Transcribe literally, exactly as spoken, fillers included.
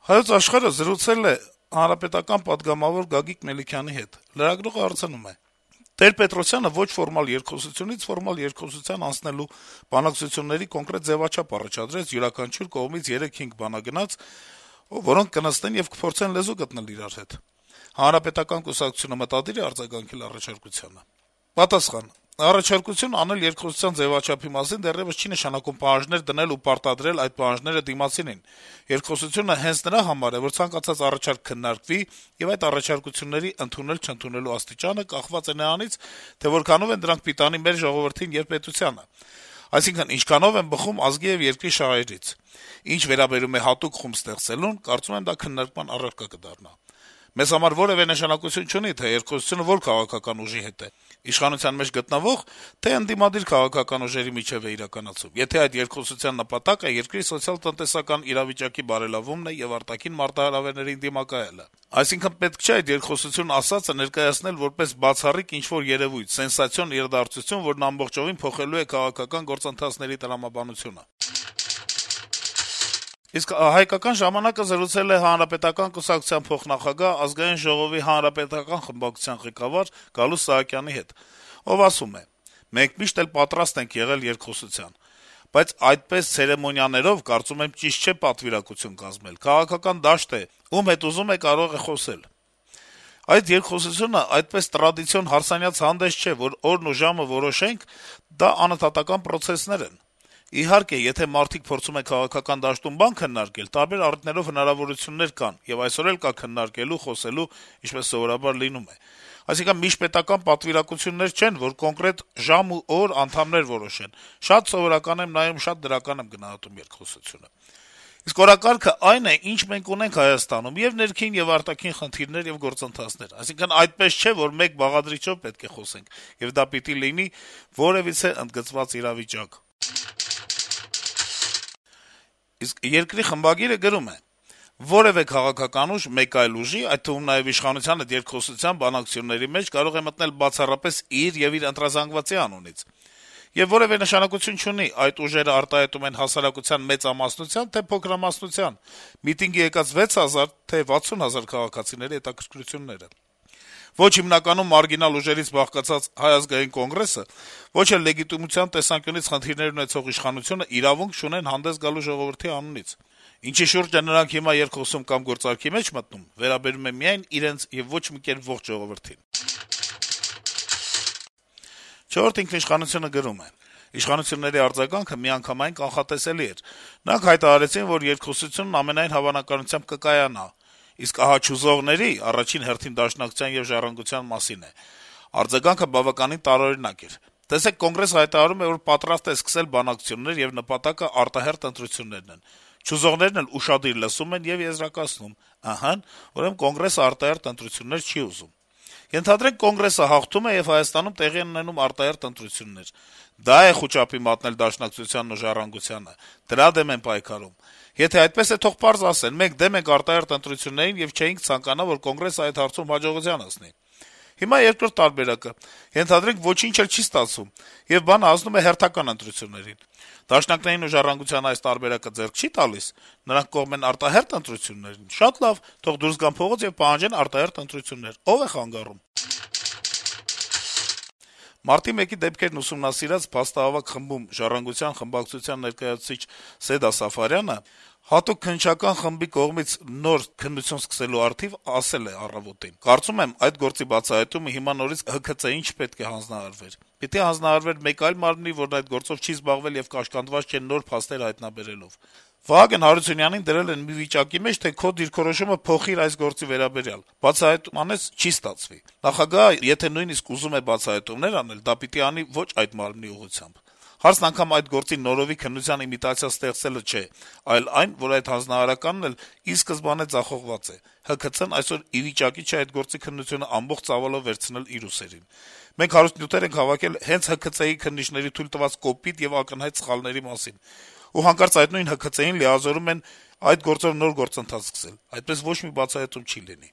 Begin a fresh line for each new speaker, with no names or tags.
Հայոց Աշխարհը զրուցել է հանրապետական պատգամավոր Գագիկ Մելիքյանի հետ։ Լրագրողը հարցնում է. - Տեր-Պետրոսյանը ոչ ֆորմալ երկխոսությունից ֆորմալ երկխոսության անցնելու բանակցությունների կոնկրետ ձեւաչափ առաջադրեց յուրաքանչյուր կողմից երեք-հինգ բանագնաց, որոնք կնստեն եւ կփորձեն լեզու գտնել իրար հետ։ Հանրապետական կուսակցությունը մտադիր է արձագանքել առաջարկությանը։ Պատասխան. Առաջարկություն անել երկխոսության ձեւաչափի մասին դեռեւս չի նշանակում պահանջներ դնել ու պարտադրել այդ պահանջները դիմացինին։ Երկխոսությունը հենց նրա համար է, որ ցանկացած առաջարկ քննարկվի եւ այդ առաջարկությունների ընդունել-չընդունելու աստիճանը կախված է նրանից, թե որքանով են դրանք պիտանի մեր ժողովրդին եւ պետությանը։ Այսինքն, ինչքանով են բխում ազգի եւ երկրի շահերից։ Ինչ վերաբերում է հատուկ խումբ ստեղծելուն, կարծում եմ դա քննարկման առարկա կդառնա։ Մեզ համար որեւէ նշանակություն չունի, թե երկխոսությունը որ քաղաքական ուժի հետ է՝ իշխանության մեջ գտնվող, թե ընդդիմադիր քաղաքական ուժերի միջեւ է իրականացում։ Եթե այդ երկխոսության նպատակը երկրի սոցիալ-տնտեսական իրավիճակի բարելավումն է եւ արտաքին մարտահրավերներին դիմակայելը, այսինքն պետք չէ այդ երկխոսություն ասածը ներկայացնել որպես բացառիկ ինչ-որ երեւույթ, սենսացիոն իրադարձություն, որն ամբողջովին փոխելու է քաղաքական գործընթացների տրամաբանությունը։ Իսկ «Հայկական ժամանակ»-ը զրուցել է Հանրապետական կուսակցության փոխնախագահ, Ազգային ժողովի հանրապետական խմբակցության ղեկավար Գալուստ Սահակյանի հետ, ով ասում է. - «Մենք միշտ էլ պատրաստ ենք եղել երկխոսության, բայց այդպես ցերեմոնիաներով, կարծում եմ, ճիշտ չէ պատվիրակություն կազմել: Քաղաքական դաշտ է, ում հետ ուզում է կարող է խոսել: Այդ երկխոսությունը այդպես տրադիցիոն հարսանյաց հանդես չէ, որ օրն ու ժամը որոշենք, դա անընդհատական պրոցեսներ են: Իհարկե, եթե մարդիկ փորձում են քաղաքական դաշտում բան քննարկել, տարբեր առիթներով հնարավորություններ կան, եւ այսօր էլ կա քննարկելու, խոսելու, ինչպես սովորաբար լինում է: Այսինքն միջպետական պատվիրակություններ չեն, որ կոնկրետ ժամ ու օր անդամներ որոշեն: Շատ սովորական եմ նայում, շատ դրական եմ գնահատում երկխոսությունը: Իսկ օրակարգը այն է, ինչ մենք ունենք Հայաստանում, եւ ներքին եւ արտաքին խնդիրներ եւ գործընթացներ: Այսինքն այդպես չէ, որ մեկ բաղադրիչով պետք է խոսենք, եւ դա պիտի լինի որեւիցե ընդգծված իրավիճակ»: Իսկ «Երկիր» խմբագիրը գրում է. - «Որեւէ քաղաքական ուժ մեկ այլ ուժի, այդ թվում նաեւ իշխանության հետ երկխոսության բանակցությունների մեջ կարող է մտնել բացառապես իր եւ իր ընտրազանգվածի անունից: Եվ որեւէ նշանակություն չունի՝ այդ ուժերը արտահայտում են հասարակության մեծամասնության, թե փոքրամասնության, միտինգի եկած վեց հազար, թե վաթսուն հազար քաղաքացիների հետաքրքրությունները: Ոչ հիմնականում մարգինալ ուժերից բաղկացած Հայ ազգային կոնգրեսը, ոչ էլ լեգիտիմության տեսանկյունից խնդիրներ ունեցող իշխանությունը իրավունք չունեն հանդես գալու ժողովրդի անունից: Ինչի շուրջ են նրանք հիմա երկխոսում կամ գործարքի մեջ մտնում, վերաբերում է միայն իրենց եւ ոչ մի կերպ ողջ ժողովրդին»: «Չորրորդ ինքնիշխանություն»-ը գրում է. - «Իշխանությունների արձագանքը միանգամայն կանխատեսելի էր: Նրանք հայտարարեցին, որ երկխոսությունն ամենայն հավանականությամբ կկայանա: Իսկ ահա չուզողների, առաջին հերթին Դաշնակցության եւ Ժառանգության մասին է: Արձագանքը բավականին տարօրինակ էր: Տեսեք, Կոնգրեսը հայտարարում է, որ պատրաստ է սկսել բանակցություններ եւ նպատակը արտահերթ ընտրություններն են: Չուզողներն էլ ուշադիր լսում են եւ եզրակացնում. ըհը, ուրեմն Կոնգրեսը արտահերթ ընտրություններ չի ուզում: Ենթադրենք, Կոնգրեսը հաղթում է եւ Հայաստանում տեղի են ունենում արտահերթ ընտրություններ: Դա է խուճապի մատնել Դաշնակցությանն ու Ժառանգությանը: Դրա դեմ են պայքարում: Եթե այդպես է, թող պարզ ասեն. մենք դեմ ենք արտահերթ ընտրություններին եւ չէինք ցանկանա, որ Կոնգրեսը այդ հարցում հաջողության հասնի: Հիմա երկրորդ տարբերակը. ենթադրենք, ոչինչ էլ չի ստացվում, եւ բանը հասնում է հերթական ընտրություններին: Դաշնակներին ու Ժառանգությանը այս տարբերակը ձեռք չի՞ տալիս: Նրանք կողմ են արտահերթ ընտրություններին: Շատ լավ, թող դուրս գան փողոց եւ պահանջեն արտահերթ ընտրություններ: Ո՞վ է խանգարում»: Մարտի մեկի դեպքերն ուսումնասիրած փաստահավաք խմբում «Ժառանգության» խմբակցության ներկայացուցիչ Սեդա Սաֆարյանը հատուկ քննչական խմբի կողմից նոր քննություն սկսելու առթիվ ասել է «Առավոտ»-ին. - «Կարծում եմ, այդ գործի բացահայտումը հիմա նորից ՀՔԾ-ին չպետք է հանձնարարվեր: Պիտի հանձնարարվեր մեկ այլ մարմնի, որն այդ գործով չի զբաղվել եւ կաշկանդված չէ նոր փաստեր հայտնաբերելով: Վահագն Հարությունյանին դրել են մի վիճակի մեջ, թե քո դիրքորոշումը փոխիր այս գործի վերաբերյալ: Բացահայտում անես, չի ստացվի: Նախագահը եթե նույնիսկ ուզում է բացահայտումներ անել, դա պիտի անի ոչ այդ մարմնի ուղղությամբ: Հարցն անգամ այդ գործի նորովի քննության իմիտացիա ստեղծելը չէ, այլ այն, որ այդ հանձնարարականն էլ ի սկզբանե ձախողված է: ՀՔԾ-ն այսօր ի վիճակի չէ այդ գործի քննությունը ամբողջ ծավալով վերցնել իր ուսերին: Մենք հարուստ նյութեր ենք հավաքել հենց ՀՔԾ-ի քննիչների թույլ տված կոպիտ եւ ակնհայտ սխալների մասին: Ու հանկարծ այդ նույն ՀՔԾ-ին լիազորում են այդ գործով նոր գործընթաց սկսել: Այդպես ոչ մի բացահայտում չի լինի»: